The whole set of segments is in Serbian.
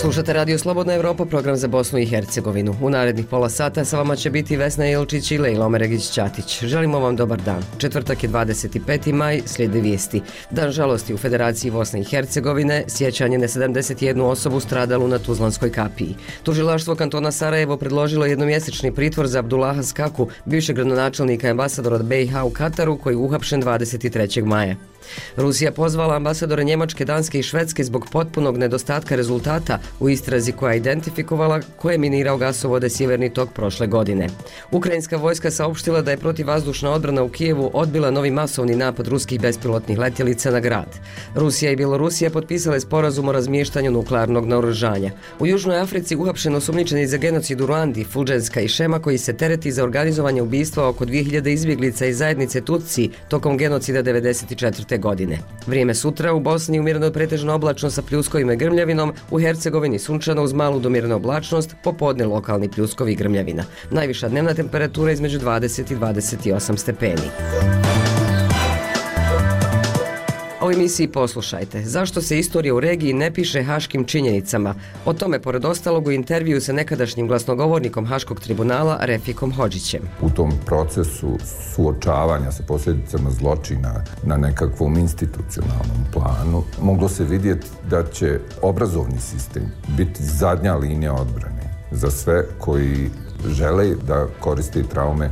Slušate Radio Slobodna Evropa, program za Bosnu i Hercegovinu. U narednih pola sata sa vama će biti Vesna Ilčić i Lejla Omeregić-Ćatić. Želimo vam dobar dan. Četvrtak je 25. maj, slijede vijesti. Dan žalosti u Federaciji Bosne i Hercegovine, sjećanje na 71 osobu stradalu na Tuzlanskoj kapiji. Tužilaštvo kantona Sarajevo predložilo jednomjesečni pritvor za Abdullaha Skaku, bivšeg gradonačelnika i ambasadora od BiH u Kataru, koji je uhapšen 23. maja. Rusija pozvala ambasadore Njemačke, Danske i Švedske zbog potpunog nedostatka rezultata u istrazi koja je identifikovala ko je minirao gasovode Sjeverni tok prošle godine. Ukrajinska vojska saopštila da je protivvazdušna odbrana u Kijevu odbila novi masovni napad ruskih bespilotnih letjelica na grad. Rusija i Bjelorusija potpisale sporazum o razmještanju nuklearnog naoružanja. U Južnoj Africi uhapšen osumnjičeni za genocid u Ruandi, Fulgenska i Šema, koji se tereti za organizovanje ubistva oko 2000 izbjeglica iz zajednice Tutsi tokom genocida 1994. godine. Vrijeme sutra u Bosni umjereno pretežno oblačno sa pljuskovima i grmljavinom, u Hercegovini sunčano uz malu do umjerenu oblačnost, popodne lokalni pljuskovi i grmljavina. Najviša dnevna temperatura između 20 i 28 stepeni. U emisiji poslušajte, zašto se istorija u regiji ne piše haškim činjenicama. O tome, pored ostalog, u intervju sa nekadašnjim glasnogovornikom Haškog tribunala Refikom Hodžićem. U tom procesu suočavanja sa posljedicama zločina na nekakvom institucionalnom planu moglo se vidjeti da će obrazovni sistem biti zadnja linija odbrane za sve koji žele da koriste traume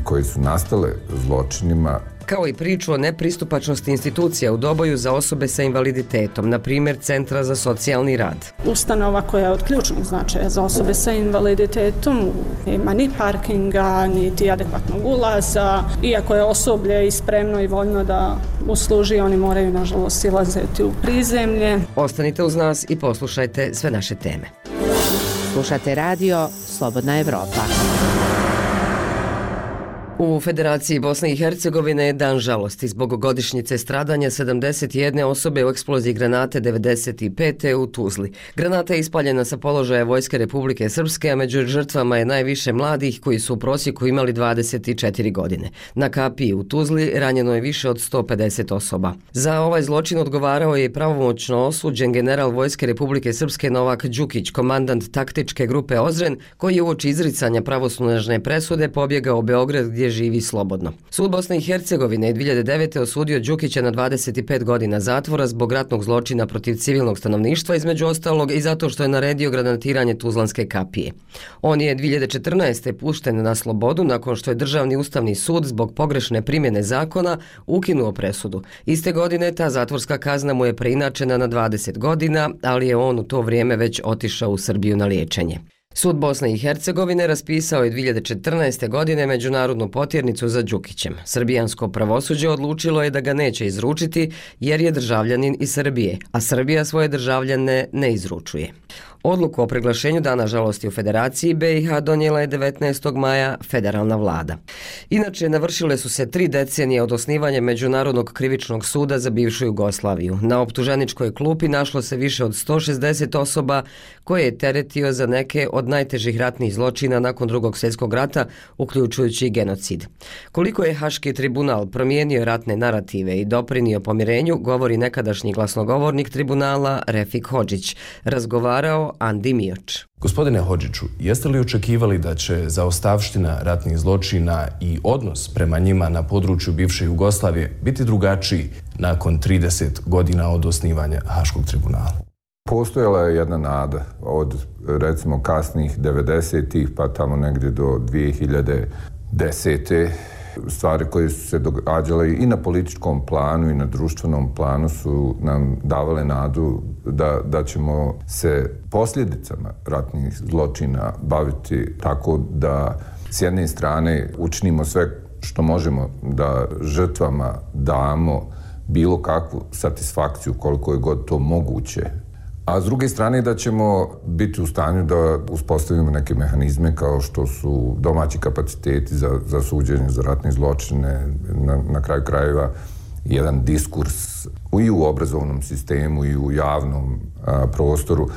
koje su nastale zločinima, kao i priču o nepristupačnosti institucija u Doboju za osobe sa invaliditetom, na primjer Centra za socijalni rad. Ustanova koja je od ključnog značaja za osobe sa invaliditetom, nema ni parkinga, niti adekvatnog ulaza. Iako je osoblje i spremno i voljno da usluži, oni moraju, nažalost, silaziti u prizemlje. Ostanite uz nas i poslušajte sve naše teme. Slušate radio Slobodna Evropa. U Federaciji Bosne i Hercegovine je dan žalosti zbog godišnjice stradanja 71 osobe u eksploziji granate 95. u Tuzli. Granata je ispaljena sa položaja Vojske Republike Srpske, a među žrtvama je najviše mladih koji su u prosjeku imali 24 godine. Na kapiji u Tuzli ranjeno je više od 150 osoba. Za ovaj zločin odgovarao je pravomoćno osuđen general Vojske Republike Srpske Novak Đukić, komandant taktičke grupe Ozren, koji je uoči izricanja pravosnažne presude pobjegao u Beograd gdje živi slobodno. Sud Bosne i Hercegovine je 2009. osudio Đukića na 25 godina zatvora zbog ratnog zločina protiv civilnog stanovništva, između ostalog i zato što je naredio granatiranje Tuzlanske kapije. On je 2014. pušten na slobodu nakon što je Državni ustavni sud zbog pogrešne primjene zakona ukinuo presudu. Iste godine ta zatvorska kazna mu je preinačena na 20 godina, ali je on u to vrijeme već otišao u Srbiju na liječenje. Sud Bosne i Hercegovine raspisao je 2014. godine međunarodnu potjernicu za Đukićem. Srbijansko pravosuđe odlučilo je da ga neće izručiti jer je državljanin iz Srbije, a Srbija svoje državljane ne izručuje. Odluku o proglašenju Dana žalosti u Federaciji BiH donijela je 19. maja federalna vlada. Inače, navršile su se 3 decenije od osnivanja Međunarodnog krivičnog suda za bivšu Jugoslaviju. Na optuženičkoj klupi našlo se više od 160 osoba koje je teretio za neke od najtežih ratnih zločina nakon Drugog svjetskog rata, uključujući i genocid. Koliko je Haški tribunal promijenio ratne narative i doprinio pomirenju, govori nekadašnji glasnogovornik tribunala Refik Hodžić. Razgovarao Andi Mioč. Gospodine Hodžiću, jeste li očekivali da će zaostavština ratnih zločina i odnos prema njima na području bivše Jugoslavije biti drugačiji nakon 30 godina od osnivanja Haškog tribunala? Postojala je jedna nada od, recimo, kasnih 90-ih pa tamo negdje do 2010. Stvari koje su se događale i na političkom planu i na društvenom planu su nam davale nadu da ćemo se posljedicama ratnih zločina baviti tako da s jedne strane učinimo sve što možemo da žrtvama damo bilo kakvu satisfakciju koliko je god to moguće. A s druge strane da ćemo biti u stanju da uspostavimo neke mehanizme kao što su domaći kapaciteti za suđenje za ratne zločine, na kraju krajeva jedan diskurs i u obrazovnom sistemu i u javnom prostoru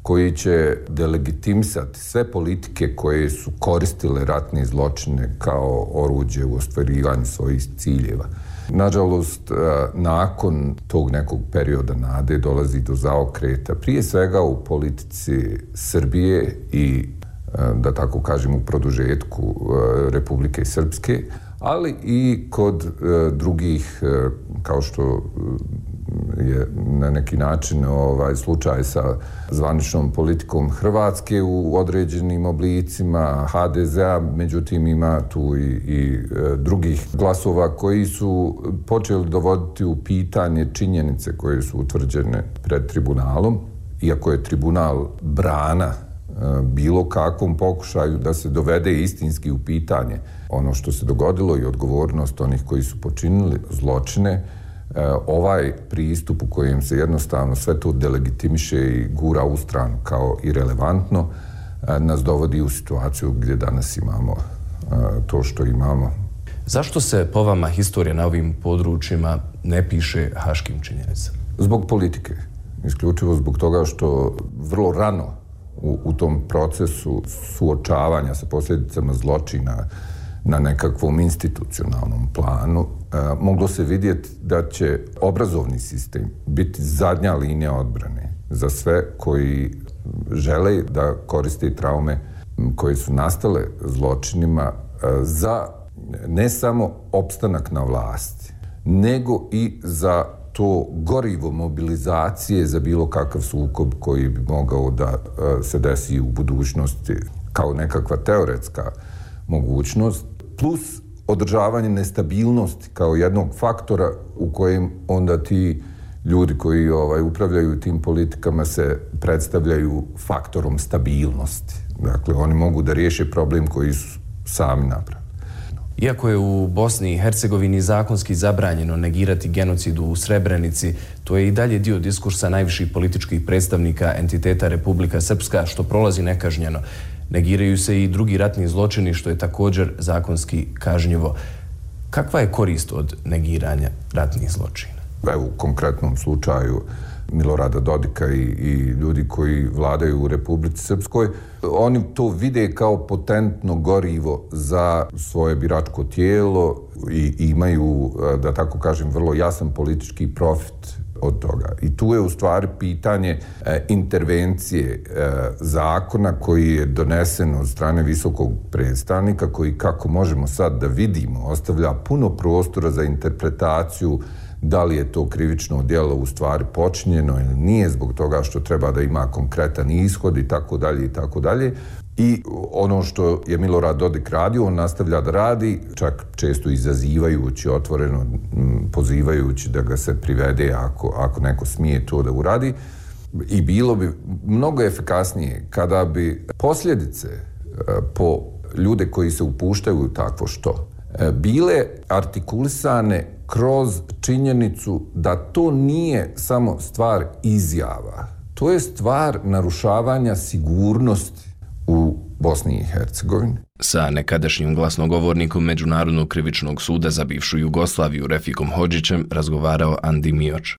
koji će delegitimisati sve politike koje su koristile ratne zločine kao oruđe u ostvarivanju svojih ciljeva. Nažalost, nakon tog nekog perioda nade dolazi do zaokreta, prije svega u politici Srbije i, da tako kažem, u produžetku Republike Srpske, ali i kod drugih, kao što je na neki način slučaj sa zvaničnom politikom Hrvatske u određenim oblicima HDZ-a, međutim ima tu i drugih glasova koji su počeli dovoditi u pitanje činjenice koje su utvrđene pred tribunalom, iako je tribunal brana bilo kakvom pokušaju da se dovede istinski u pitanje ono što se dogodilo i odgovornost onih koji su počinili zločine. Ovaj pristup u kojem se jednostavno sve to delegitimiše i gura u stranu kao irelevantno nas dovodi u situaciju gdje danas imamo to što imamo. Zašto se po vama historija na ovim područjima ne piše haškim činjenicama? Zbog politike. Isključivo zbog toga što vrlo rano u tom procesu suočavanja sa posljedicama zločina na nekakvom institucionalnom planu moglo se vidjeti da će obrazovni sistem biti zadnja linija odbrane za sve koji žele da koriste traume koje su nastale zločinima za ne samo opstanak na vlasti, nego i za to gorivo mobilizacije za bilo kakav sukob koji bi mogao da se desi u budućnosti kao nekakva teoretska mogućnost, plus održavanje nestabilnosti kao jednog faktora u kojem onda ti ljudi koji upravljaju tim politikama se predstavljaju faktorom stabilnosti. Dakle, oni mogu da riješe problem koji su sami napravili. Iako je u Bosni i Hercegovini zakonski zabranjeno negirati genocid u Srebrenici, to je i dalje dio diskursa najviših političkih predstavnika entiteta Republika Srpska, što prolazi nekažnjeno. Negiraju se i drugi ratni zločini, što je također zakonski kažnjivo. Kakva je korist od negiranja ratnih zločina? U konkretnom slučaju Milorada Dodika i ljudi koji vladaju u Republici Srpskoj, oni to vide kao potentno gorivo za svoje biračko tijelo i imaju, da tako kažem, vrlo jasan politički profit od toga. I tu je u stvari pitanje intervencije zakona koji je donesen od strane visokog predstavnika, koji, kako možemo sad da vidimo, ostavlja puno prostora za interpretaciju da li je to krivično djelo u stvari počinjeno ili nije, zbog toga što treba da ima konkretan ishod i tako dalje i tako dalje. I ono što je Milorad Dodik radio, on nastavlja da radi, čak često izazivajući, otvoreno pozivajući da ga se privede ako neko smije to da uradi. I bilo bi mnogo efikasnije kada bi posljedice po ljude koji se upuštaju u takvo što bile artikulisane kroz činjenicu da to nije samo stvar izjava. To je stvar narušavanja sigurnosti u Bosni i Hercegovini. Sa nekadašnjim glasnogovornikom Međunarodnog krivičnog suda za bivšu Jugoslaviju Refikom Hodžićem razgovarao Andi Mioč.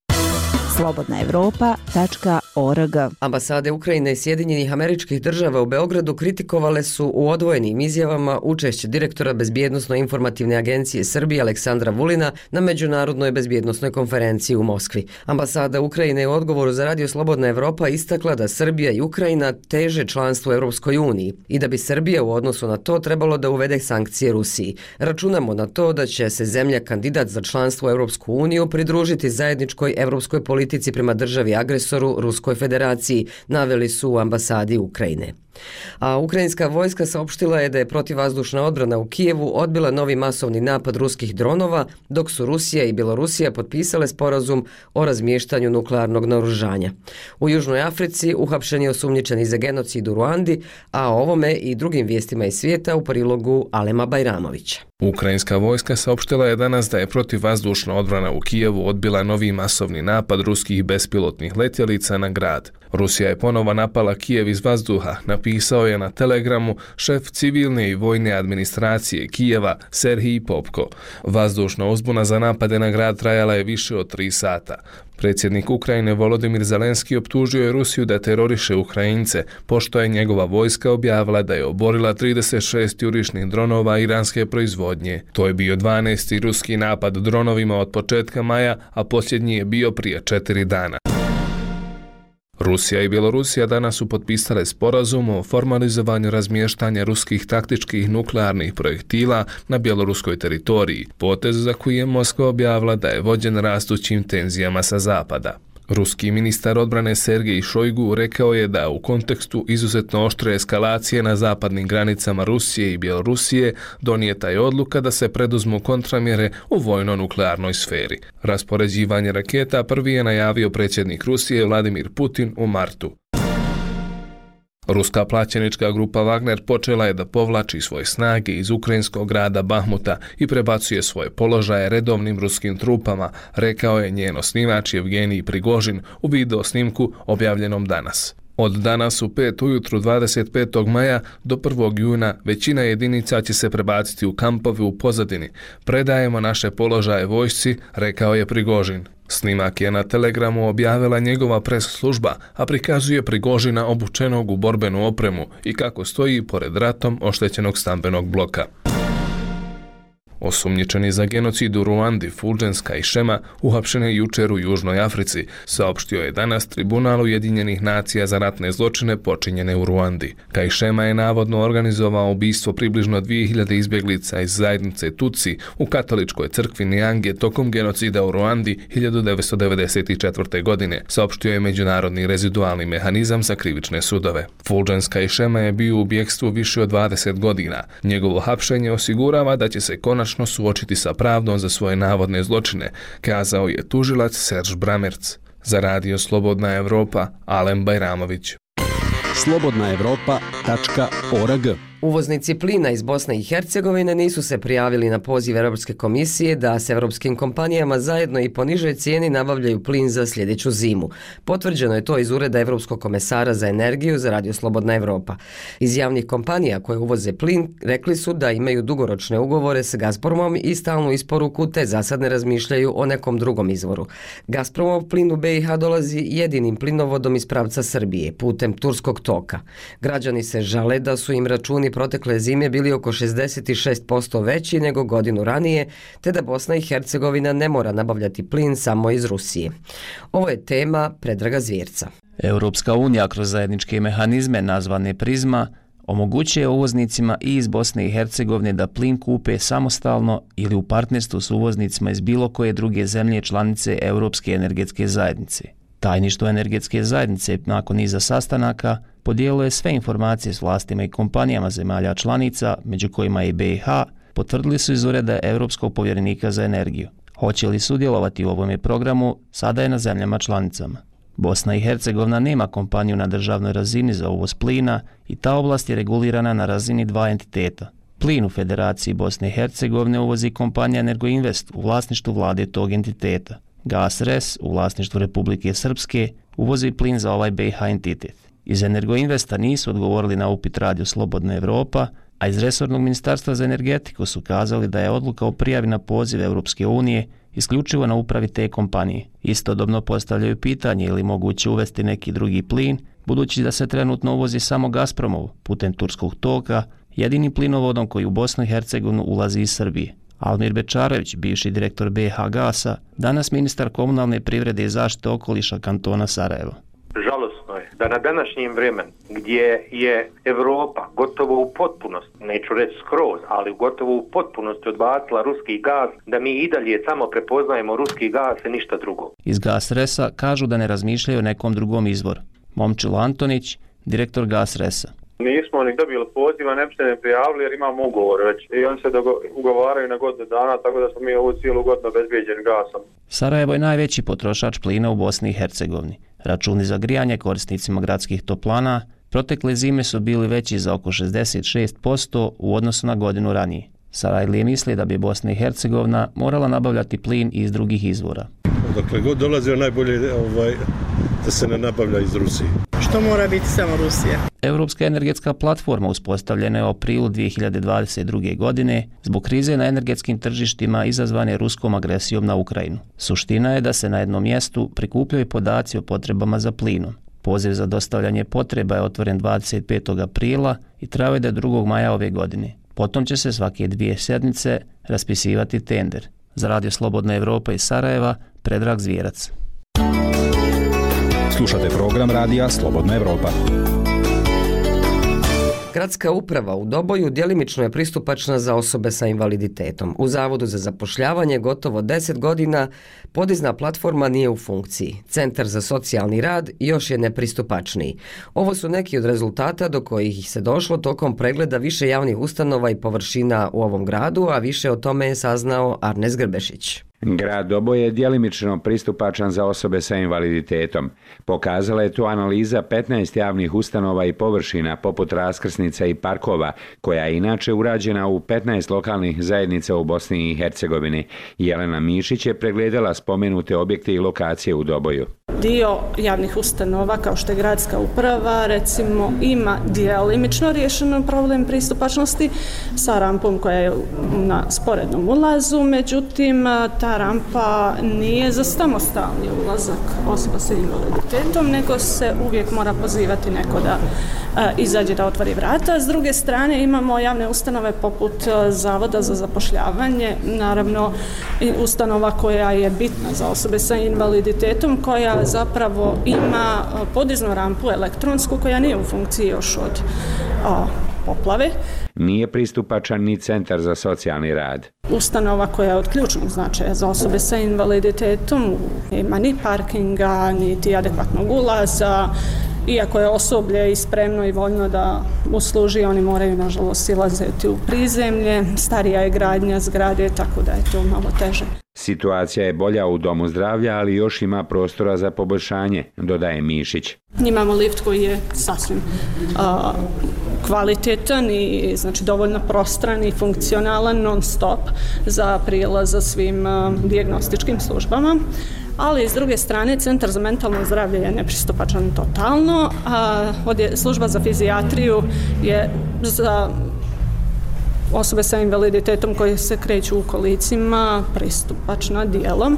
slobodnaevropa.org. Ambasade Ukrajine i Sjedinjenih Američkih Država u Beogradu kritikovale su u odvojenim izjavama učešće direktora Bezbjednosno-informativne agencije Srbije Aleksandra Vulina na Međunarodnoj bezbjednosnoj konferenciji u Moskvi. Ambasada Ukrajine je u odgovoru za Radio Slobodna Evropa istakla da Srbija i Ukrajina teže članstvu Europskoj uniji i da bi Srbija u odnosu na to trebalo da uvede sankcije Rusiji. Računamo na to da će se zemlja kandidat za članstvo u Europsku uniju pridružiti zajedničkoj europskoj politici prema državi agresoru Ruskoj federaciji, naveli su u ambasadi Ukrajine. A ukrajinska vojska saopštila je da je protivvazdušna odbrana u Kijevu odbila novi masovni napad ruskih dronova, dok su Rusija i Bjelorusija potpisale sporazum o razmještanju nuklearnog naoružanja. U Južnoj Africi uhapšen je osumnjičeni za genocid u Ruandi, a o ovome i drugim vijestima iz svijeta u prilogu Alema Bajramovića. Ukrajinska vojska saopštila je danas da je protivvazdušna odbrana u Kijevu odbila novi masovni napad ruskih bespilotnih letjelica na grad. Rusija je ponovo napala Kijev iz vazduha, napisao je na Telegramu šef civilne i vojne administracije Kijeva Serhij Popko. Vazdušna uzbuna za napade na grad trajala je više od 3 sata. Predsjednik Ukrajine Volodimir Zelenski optužio je Rusiju da teroriše Ukrajince, pošto je njegova vojska objavila da je oborila 36 jurišnih dronova iranske proizvodnje. To je bio 12. ruski napad dronovima od početka maja, a posljednji je bio prije 4 dana. Rusija i Bjelorusija danas su potpisale sporazum o formalizovanju razmještanja ruskih taktičkih nuklearnih projektila na bjeloruskoj teritoriji, potez za koji je Moskva objavila da je vođen rastućim tenzijama sa zapada. Ruski ministar odbrane Sergej Šojgu rekao je da u kontekstu izuzetno oštre eskalacije na zapadnim granicama Rusije i Bjelorusije donijeta je odluka da se preduzmu kontramjere u vojno-nuklearnoj sferi. Raspoređivanje raketa prvi je najavio predsjednik Rusije Vladimir Putin u martu. Ruska plaćenička grupa Wagner počela je da povlači svoje snage iz ukrajinskog grada Bahmuta i prebacuje svoje položaje redovnim ruskim trupama, rekao je njen osnivač Evgenij Prigožin u video snimku objavljenom danas. Od danas u 5 ujutru 25. maja do 1. juna većina jedinica će se prebaciti u kampove u pozadini. Predajemo naše položaje vojsci, rekao je Prigožin. Snimak je na Telegramu objavila njegova pres služba, a prikazuje Prigožina obučenog u borbenu opremu i kako stoji pored ratom oštećenog stambenog bloka. Osumnjičeni za genocid u Ruandi Fulgens Kajšema uhapšen je jučer u Južnoj Africi, saopštio je danas Tribunal Ujedinjenih nacija za ratne zločine počinjene u Ruandi. Kajšema je navodno organizovao ubistvo približno 2000 izbjeglica iz zajednice Tutsi u katoličkoj crkvi Niange tokom genocida u Ruandi 1994. godine, saopštio je Međunarodni rezidualni mehanizam za krivične sudove. Fulgens Kajšema je bio u bjegstvu više od 20 godina. Njegovo hapšenje osigurava da će se konačno suočiti sa pravdom za svoje navodne zločine, kazao je tužilac Serž Bramerc. Za radio Slobodna Evropa, Alen Bajramović. slobodnaevropa.org. Uvoznici plina iz Bosne i Hercegovine nisu se prijavili na poziv Europske komisije da s europskim kompanijama zajedno i po nižoj cijeni nabavljaju plin za sljedeću zimu. Potvrđeno je to iz ureda Europskog komesara za energiju za radio Slobodna Evropa. Iz javnih kompanija koje uvoze plin rekli su da imaju dugoročne ugovore s Gazpromom i stalnu isporuku, te za sad ne razmišljaju o nekom drugom izvoru. Gazpromov plin u BiH dolazi jedinim plinovodom iz pravca Srbije putem Turskog toka. Građani se žale da su im računi protekle zime bili oko 66% veći nego godinu ranije, te da Bosna i Hercegovina ne mora nabavljati plin samo iz Rusije. Ovo je tema Predraga Zvjerca. Europska unija kroz zajedničke mehanizme nazvane Prizma omogućuje uvoznicima i iz Bosne i Hercegovine da plin kupe samostalno ili u partnerstvu s uvoznicima iz bilo koje druge zemlje članice Europske energetske zajednice. Tajništvo energetske zajednice nakon niza sastanaka podijelilo je sve informacije s vlastima i kompanijama zemalja članica, među kojima i BiH, potvrdili su iz ureda Europskog povjerenika za energiju. Hoće li sudjelovati u ovome programu, sada je na zemljama članicama. Bosna i Hercegovina nema kompaniju na državnoj razini za uvoz plina i ta oblast je regulirana na razini 2 entiteta. Plin u Federaciji Bosne i Hercegovine uvozi kompanija Energoinvest u vlasništvu vlade tog entiteta. GasRes u vlasništvu Republike Srpske uvozi plin za ovaj BiH entitet. Iz Energoinvesta nisu odgovorili na upit radio Slobodna Evropa, a iz resornog ministarstva za energetiku su kazali da je odluka o prijavi na poziv Europske unije isključivo na upravi te kompanije. Istodobno postavljaju pitanje ili moguće uvesti neki drugi plin, budući da se trenutno uvozi samo Gazpromov putem Turskog toka, jedinim plinovodom koji u Bosnu i Hercegovinu ulazi iz Srbije. Almir Bečarević, bivši direktor BiH Gasa, danas ministar komunalne privrede i zaštite okoliša kantona Sarajevo. Žalosno je da na današnjem vremenu gdje je Evropa gotovo u potpunosti, neću reći skroz, ali gotovo u potpunosti odbacila ruski gaz, da mi i dalje samo prepoznajemo ruski gaz i ništa drugo. Iz GasResa kažu da ne razmišljaju o nekom drugom izvoru. Momčilo Antonić, direktor GasResa. Nismo ni dobili poziva, ne bi se ne prijavili jer imamo ugovor već i oni se ugovaraju na godinu dana, tako da smo mi ovu cijelu godinu obezbijeđeni gasom. Sarajevo je najveći potrošač plina u Bosni i Hercegovini. Računi za grijanje korisnicima gradskih toplana protekle zime su bili veći za oko 66% u odnosu na godinu ranije. Sarajlije misli da bi Bosna i Hercegovina morala nabavljati plin iz drugih izvora. Dakle, god dolazio najbolje da se ne nabavlja iz Rusije. Što mora biti samo Rusija? Europska energetska platforma uspostavljena je u aprilu 2022. godine zbog krize na energetskim tržištima izazvane ruskom agresijom na Ukrajinu. Suština je da se na jednom mjestu prikupljaju podaci o potrebama za plinom. Poziv za dostavljanje potreba je otvoren 25. aprila i trajao je do 2. maja ove godine. Potom će se svake 2 sedmice raspisivati tender. Za Radio Slobodna Evropa iz Sarajeva, Predrag Zvijerac. Slušate program Radija Slobodna Evropa. Gradska uprava u Doboju djelimično je pristupačna za osobe sa invaliditetom. U Zavodu za zapošljavanje gotovo 10 godina podizna platforma nije u funkciji. Centar za socijalni rad još je nepristupačniji. Ovo su neki od rezultata do kojih se došlo tokom pregleda više javnih ustanova i površina u ovom gradu, a više o tome je saznao Arnes Grbešić. Grad Doboj je djelimično pristupačan za osobe sa invaliditetom. Pokazala je to analiza 15 javnih ustanova i površina poput raskrsnica i parkova, koja je inače urađena u 15 lokalnih zajednica u Bosni i Hercegovini. Jelena Mišić je pregledala spomenute objekte i lokacije u Doboju. Dio javnih ustanova, kao što je gradska uprava, recimo ima djelimično riješen problem pristupačnosti sa rampom koja je na sporednom ulazu, međutim ta rampa nije za samostalni ulazak osoba sa invaliditetom, nego se uvijek mora pozivati neko da izađe da otvori vrata. S druge strane imamo javne ustanove poput Zavoda za zapošljavanje, naravno i ustanova koja je bitna za osobe sa invaliditetom, koja zapravo ima podiznu rampu elektronsku koja nije u funkciji još od poplave. Nije pristupačan ni Centar za socijalni rad. Ustanova koja je od ključnog značaja za osobe sa invaliditetom, nema ni parkinga, niti adekvatnog ulaza. Iako je osoblje i spremno i voljno da usluži, oni moraju nažalost silaziti u prizemlje. Starija je gradnja zgrade, tako da je to malo teže. Situacija je bolja u Domu zdravlja, ali još ima prostora za poboljšanje, dodaje Mišić. Imamo lift koji je sasvim kvalitetan i znači dovoljno prostran i funkcionalan non stop za prilaz za svim dijagnostičkim službama. Ali s druge strane Centar za mentalno zdravlje je nepristupačan totalno, a služba za fizijatriju je za osobe sa invaliditetom koje se kreću u kolicima pristupačna dijelom,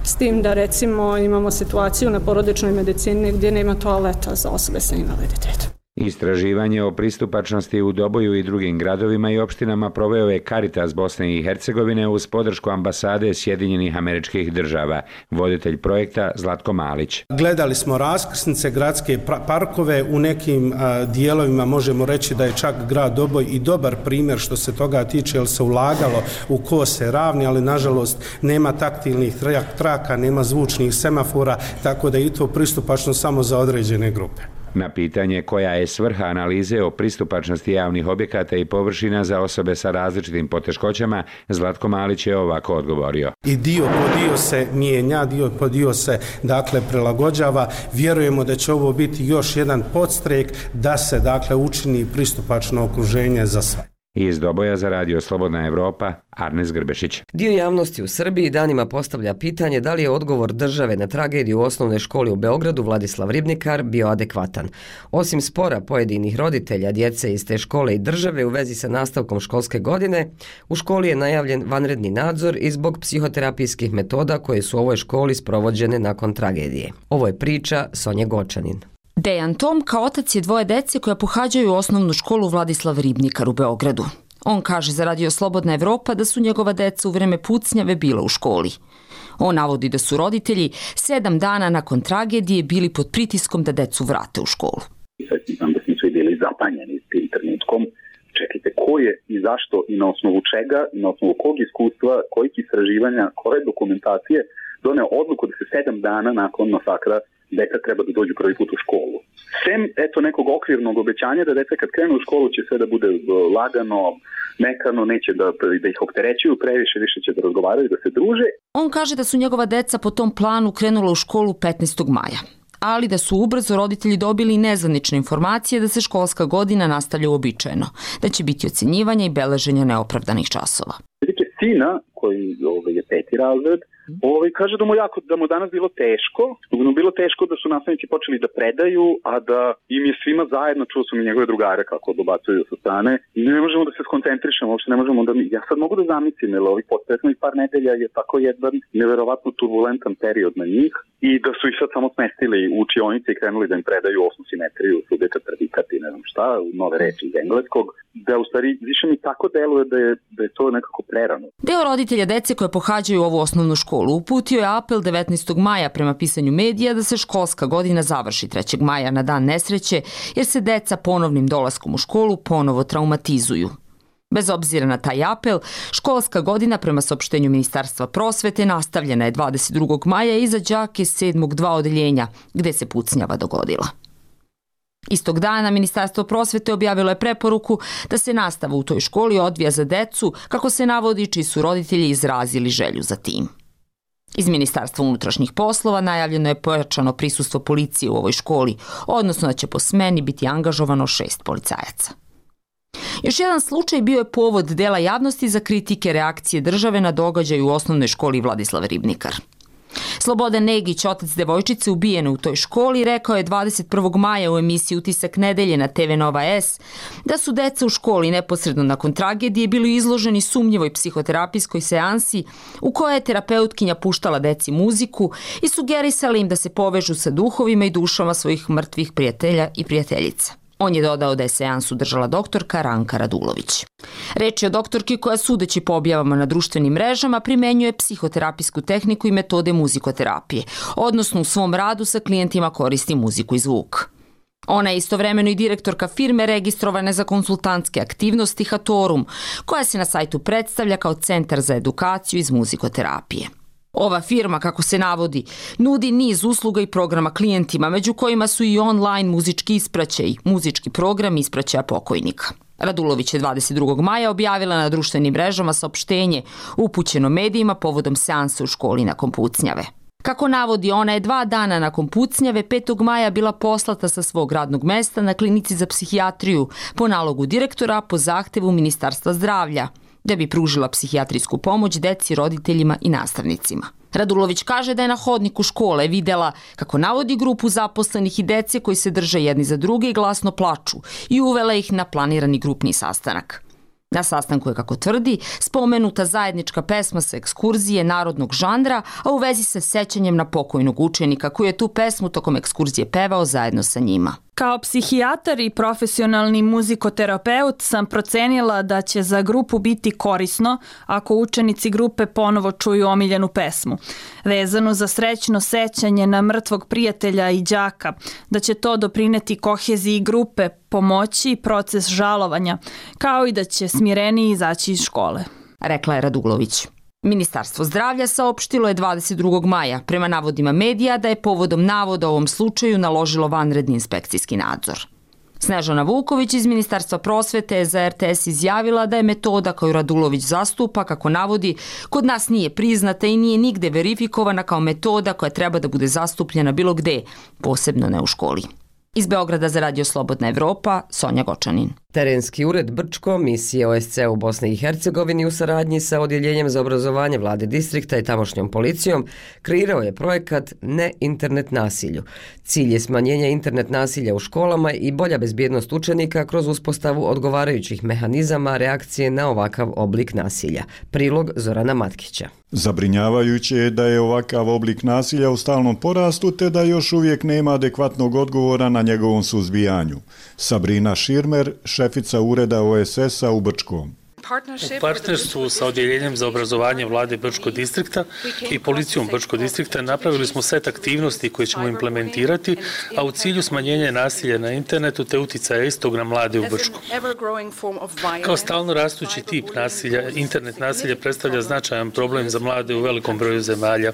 s tim da recimo imamo situaciju na porodičnoj medicini gdje nema toaleta za osobe sa invaliditetom. Istraživanje o pristupačnosti u Doboju i drugim gradovima i opštinama proveo je Caritas Bosne i Hercegovine uz podršku ambasade Sjedinjenih Američkih Država. Voditelj projekta Zlatko Malić. Gledali smo raskrsnice, gradske parkove, u nekim dijelovima možemo reći da je čak grad Doboj i dobar primjer što se toga tiče, jer se ulagalo u kose ravni, ali nažalost nema taktilnih traka, nema zvučnih semafora, tako da je i to pristupačno samo za određene grupe. Na pitanje koja je svrha analize o pristupačnosti javnih objekata i površina za osobe sa različitim poteškoćama, Zlatko Malić je ovako odgovorio. I dio po dio se mijenja, dio po dio se prilagođava. Vjerujemo da će ovo biti još jedan podstrek da se učini pristupačno okruženje za sve. Iz Doboja za Radio Slobodna Evropa, Arnes Grbešić. Dio javnosti u Srbiji danima postavlja pitanje da li je odgovor države na tragediju u osnovnoj školi u Beogradu Vladislav Ribnikar bio adekvatan. Osim spora pojedinih roditelja, djece iz te škole i države u vezi sa nastavkom školske godine, u školi je najavljen vanredni nadzor i zbog psihoterapijskih metoda koje su u ovoj školi sprovođene nakon tragedije. Ovo je priča Sonje Gočanin. Dejan Tom kao otac je 2 dece koja pohađaju osnovnu školu Vladislav Ribnikar u Beogradu. On kaže za Radio Slobodna Evropa da su njegova deca u vreme pucnjave bila u školi. On navodi da su roditelji 7 dana nakon tragedije bili pod pritiskom da decu vrate u školu. Znam da smo svi bili zapanjeni s tim trenutkom. Čekajte, ko je i zašto i na osnovu čega i na osnovu kog iskustva, kojih istraživanja, koje dokumentacije doneo odluku da se 7 dana nakon masakra deca treba da dođu prvi put u školu. Sem, nekog okvirnog obećanja da deca kad krenu u školu će sve da bude lagano, mekano, neće da ih opterećuju previše, više će da razgovaraju, da se druže. On kaže da su njegova deca po tom planu krenula u školu 15. maja, ali da su ubrzo roditelji dobili nezvanične informacije da se školska godina nastavlja uobičajeno, da će biti ocenjivanja i beleženja neopravdanih časova. Sina koji je 5. razred, kaže da mu danas bilo teško, da su nastavnici počeli da predaju, a da im je svima zajedno, čuo sam i njegove drugare kako dobacuju sa strane, i ne možemo da se skoncentrišemo, uopšte ne možemo da ja sad mogu da zamislim, jer ovih poslednjih par nedelja je tako jedan neverovatno turbulentan period na njih i da su ih sad samo smestili u učionice i krenuli da im predaju osnu simetriju, subjekat, predikat i ne znam šta, nove reči iz engleskog, da u stvari više mi tako deluje da je to nekako prerano. Deo roditelja dece koje pohađaju ovu osnovnu školu uputio je apel 19. maja prema pisanju medija da se školska godina završi 3. maja na dan nesreće, jer se deca ponovnim dolaskom u školu ponovo traumatizuju. Bez obzira na taj apel, školska godina prema saopštenju Ministarstva prosvete nastavljena je 22. maja i za đake 7. 2 odeljenja, gde se pucnjava dogodila. Istog dana Ministarstvo prosvete objavilo je preporuku da se nastava u toj školi odvija za decu, kako se navodi, čiji su roditelji izrazili želju za tim. Iz Ministarstva unutrašnjih poslova najavljeno je pojačano prisustvo policije u ovoj školi, odnosno da će po smeni biti angažovano 6 policajaca. Još jedan slučaj bio je povod dela javnosti za kritike reakcije države na događaj u osnovnoj školi Vladislav Ribnikar. Slobodan Negić, otac devojčice ubijene u toj školi, rekao je 21. maja u emisiji Utisak nedelje na TV Nova S da su deca u školi neposredno nakon tragedije bili izloženi sumnjivoj psihoterapijskoj seansi u kojoj je terapeutkinja puštala deci muziku i sugerisala im da se povežu sa duhovima i dušama svojih mrtvih prijatelja i prijateljica. On je dodao da je seansu držala doktorka Ranka Radulović. Reč je o doktorki koja, sudeći po objavama na društvenim mrežama, primenjuje psihoterapijsku tehniku i metode muzikoterapije, odnosno u svom radu sa klijentima koristi muziku i zvuk. Ona je istovremeno i direktorka firme registrovane za konsultantske aktivnosti Hatorum, koja se na sajtu predstavlja kao centar za edukaciju iz muzikoterapije. Ova firma, kako se navodi, nudi niz usluga i programa klijentima, među kojima su i online muzički ispraćaj, muzički program ispraćaja pokojnika. Radulović je 22. maja objavila na društvenim mrežama saopštenje upućeno medijima povodom seansa u školi nakon pucnjave. Kako navodi, ona je 2 dana nakon pucnjave 5. maja bila poslata sa svog radnog mesta na klinici za psihijatriju po nalogu direktora po zahtevu Ministarstva zdravlja, da bi pružila psihijatrijsku pomoć deci, roditeljima i nastavnicima. Radulović kaže da je na hodniku škole videla, kako navodi, grupu zaposlenih i dece koji se drže jedni za druge i glasno plaču i uvela ih na planirani grupni sastanak. Na sastanku je, kako tvrdi, spomenuta zajednička pesma sa ekskurzije narodnog žanra, a u vezi sa sećanjem na pokojnog učenika koji je tu pesmu tokom ekskurzije pevao zajedno sa njima. Kao psihijatar i profesionalni muzikoterapeut sam procenila da će za grupu biti korisno ako učenici grupe ponovo čuju omiljenu pesmu, vezanu za srećno sećanje na mrtvog prijatelja i đaka, da će to doprineti koheziji grupe, pomoći proces žalovanja, kao i da će smireniji izaći iz škole, rekla je Radulović. Ministarstvo zdravlja saopštilo je 22. maja, prema navodima medija, da je povodom navoda o ovom slučaju naložilo vanredni inspekcijski nadzor. Snežana Vuković iz Ministarstva prosvete je za RTS izjavila da je metoda koju Radulović zastupa, kako navodi, kod nas nije priznata i nije nigde verifikovana kao metoda koja treba da bude zastupljena bilo gde, posebno ne u školi. Iz Beograda za Radio Slobodna Evropa, Sonja Gočanin. Terenski ured Brčko, misije OSC u Bosni i Hercegovini u saradnji sa Odjeljenjem za obrazovanje vlade distrikta i tamošnjom policijom kreirao je projekat Ne internet nasilju. Cilj je smanjenje internet nasilja u školama i bolja bezbjednost učenika kroz uspostavu odgovarajućih mehanizama reakcije na ovakav oblik nasilja. Prilog Zorana Matkića. Zabrinjavajuće je da je ovakav oblik nasilja u stalnom porastu te da još uvijek nema adekvatnog odgovora na njegovom suzbijanju. Sabrina Širmer, šefica ureda OSS-a u Brčkom. U partnerstvu sa Odjeljenjem za obrazovanje vlade Brčko distrikta i policijom Brčko distrikta napravili smo set aktivnosti koje ćemo implementirati, a u cilju smanjenja nasilja na internetu te uticaja istog na mlade u Brčku. Kao stalno rastući tip nasilja, internet nasilja predstavlja značajan problem za mlade u velikom broju zemalja.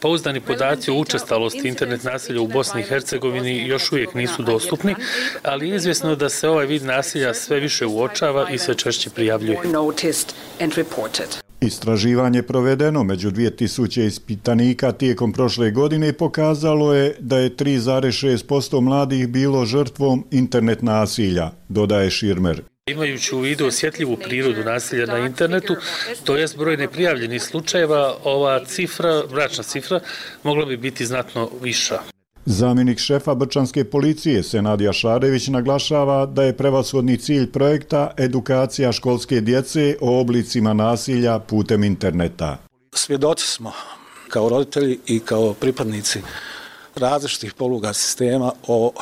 Pouzdani podaci o učestalosti internet nasilja u Bosni i Hercegovini još uvijek nisu dostupni, ali je izvjesno da se ovaj vid nasilja sve više uočava i sve češće prijavljuje. Istraživanje provedeno među 2000 ispitanika tijekom prošle godine pokazalo je da je 3,6% mladih bilo žrtvom internet nasilja, dodaje Širmer. Imajući u vidu osjetljivu prirodu nasilja na internetu, to jest broj neprijavljenih slučajeva, ova cifra, bračna cifra, mogla bi biti znatno viša. Zamjenik šefa Brčanske policije Senad Jašarević naglašava da je prevashodni cilj projekta edukacija školske djece o oblicima nasilja putem interneta. Svjedoci smo kao roditelji i kao pripadnici različitih poluga sistema o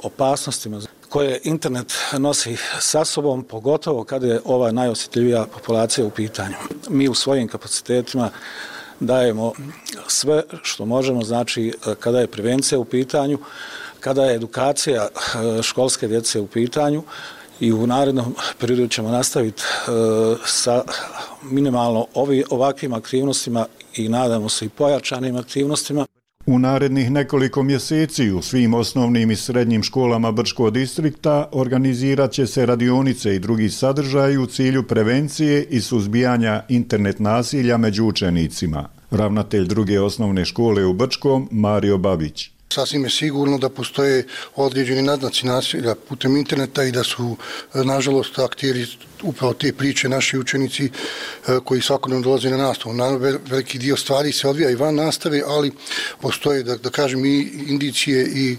opasnostima koje internet nosi sa sobom, pogotovo kada je ova najosjetljivija populacija u pitanju. Mi u svojim kapacitetima dajemo sve što možemo, znači kada je prevencija u pitanju, kada je edukacija školske djece u pitanju i u narednom periodu ćemo nastaviti sa minimalno ovakvim aktivnostima i nadamo se i pojačanim aktivnostima. U narednih nekoliko mjeseci u svim osnovnim i srednjim školama Brčkog distrikta organizirat će se radionice i drugi sadržaji u cilju prevencije i suzbijanja internet nasilja među učenicima. Ravnatelj druge osnovne škole u Brčkom, Mario Babić. Sasvim je sigurno da postoje određeni naznaci nasilja putem interneta i da su, nažalost, akteri upravo te priče naši učenici koji svakodnevno dolaze na nastavu. Naravno, veliki dio stvari se odvija i van nastave, ali postoje, da kažem, i indicije i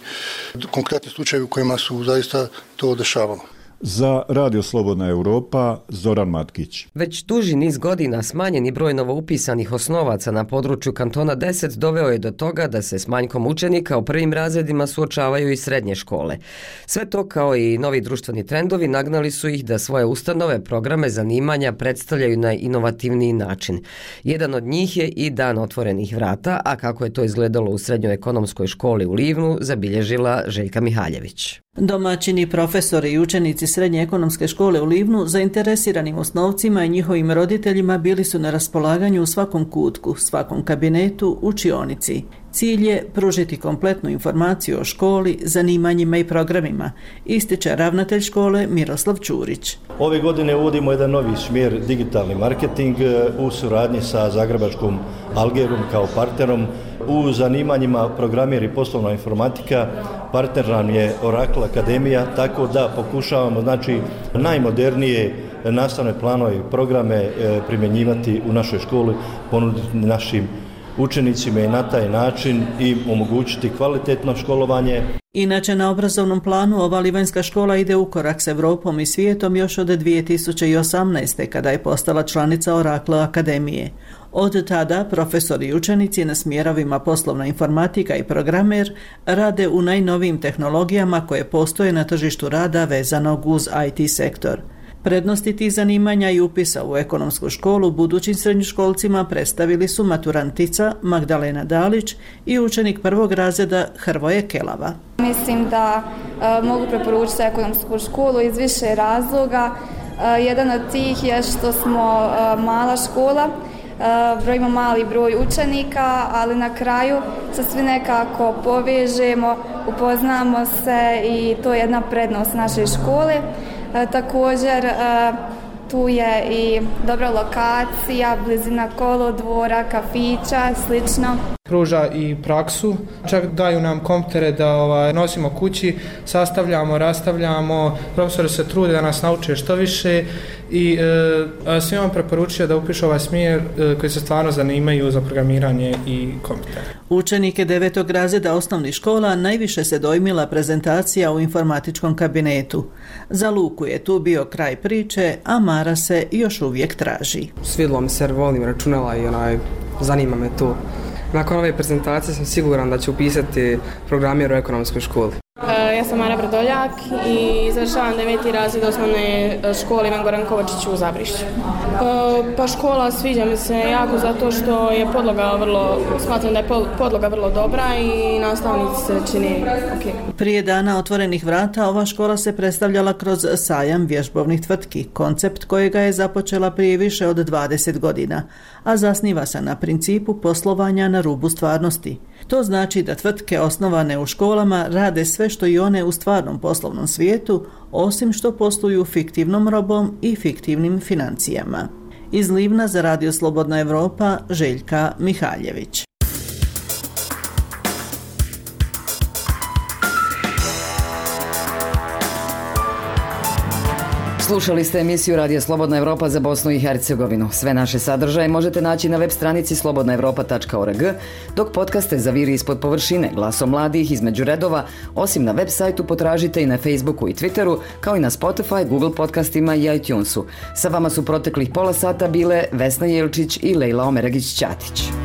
konkretne slučaje u kojima su zaista to dešavalo. Za Radio Slobodna Europa, Zoran Matkić. Već duži niz godina smanjeni broj novoupisanih osnovaca na području kantona 10 doveo je do toga da se s manjkom učenika u prvim razredima suočavaju i srednje škole. Sve to kao i novi društveni trendovi nagnali su ih da svoje ustanove, programe, zanimanja predstavljaju na inovativniji način. Jedan od njih je i Dan otvorenih vrata, a kako je to izgledalo u Srednjoj ekonomskoj školi u Livnu, zabilježila Željka Mihaljević. Domaćini, profesori i učenici Srednje ekonomske škole u Livnu zainteresiranim osnovcima i njihovim roditeljima bili su na raspolaganju u svakom kutku, svakom kabinetu, učionici. Cilj je pružiti kompletnu informaciju o školi, zanimanjima i programima, ističe ravnatelj škole Miroslav Ćurić. Ove godine uvodimo jedan novi smjer digitalni marketing u suradnji sa Zagrebačkom Algerom kao partnerom. U zanimanjima programer i poslovna informatika partner nam je Oracle Akademija, tako da pokušavamo najmodernije nastavne planove i programe primjenjivati u našoj školi, ponuditi našim učenicima i na taj način i omogućiti kvalitetno školovanje. Inače, na obrazovnom planu ova livanjska škola ide u korak s Evropom i svijetom još od 2018. kada je postala članica Oracle Akademije. Od tada profesori i učenici na smjerovima poslovna informatika i programer rade u najnovijim tehnologijama koje postoje na tržištu rada vezanog uz IT sektor. Prednosti tih zanimanja i upisa u ekonomsku školu budućim srednjoškolcima predstavili su maturantica Magdalena Dalić i učenik prvog razreda Hrvoje Kelava. Mislim da mogu preporučiti ekonomsku školu iz više razloga. Jedan od tih je što smo mala škola, brojimo mali broj učenika, ali na kraju se svi nekako povežemo, upoznamo se i to je jedna prednost naše škole. Također tu je i dobra lokacija, blizina kolodvora, kafića, slično. Pruža i praksu, čak daju nam kompjutere da nosimo kući, sastavljamo, rastavljamo, profesori se trude da nas nauče što više i svima preporučujem da upišu ovaj smjer koji se stvarno zanimaju za programiranje i kompjutere. Učenike 9. razreda osnovnih škola najviše se dojmila prezentacija u informatičkom kabinetu. Za Luku je tu bio kraj priče, a Mara se još uvijek traži. Svidilo mi se jer volim računala i zanima me to. Nakon ove prezentacije sam siguran da ću upisati programir u ekonomskoj školi. Ja sam Mara Brdoljak i završavam 9. razred osnovne škole Ivan Goran Kovačić u Zabrišću. Pa škola sviđa mi se jako zato što je smatram da je podloga vrlo dobra i nastavnici se čini ok. Prije Dana otvorenih vrata ova škola se predstavljala kroz sajam vježbovnih tvrtki, koncept kojega je započela prije više od 20 godina, a zasniva se na principu poslovanja na rubu stvarnosti. To znači da tvrtke osnovane u školama rade sve što i one u stvarnom poslovnom svijetu, osim što posluju fiktivnom robom i fiktivnim financijama. Iz Livna za Radio Slobodna Evropa, Željka Mihaljević. Slušali ste emisiju Radija Slobodna Evropa za Bosnu i Hercegovinu. Sve naše sadržaje možete naći na web stranici slobodnaevropa.org, dok podcaste Zaviri ispod površine, Glasom mladih, Između redova, osim na web sajtu potražite i na Facebooku i Twitteru, kao i na Spotify, Google podcastima i iTunesu. Sa vama su proteklih pola sata bile Vesna Jelčić i Lejla Omeragić-Ćatić.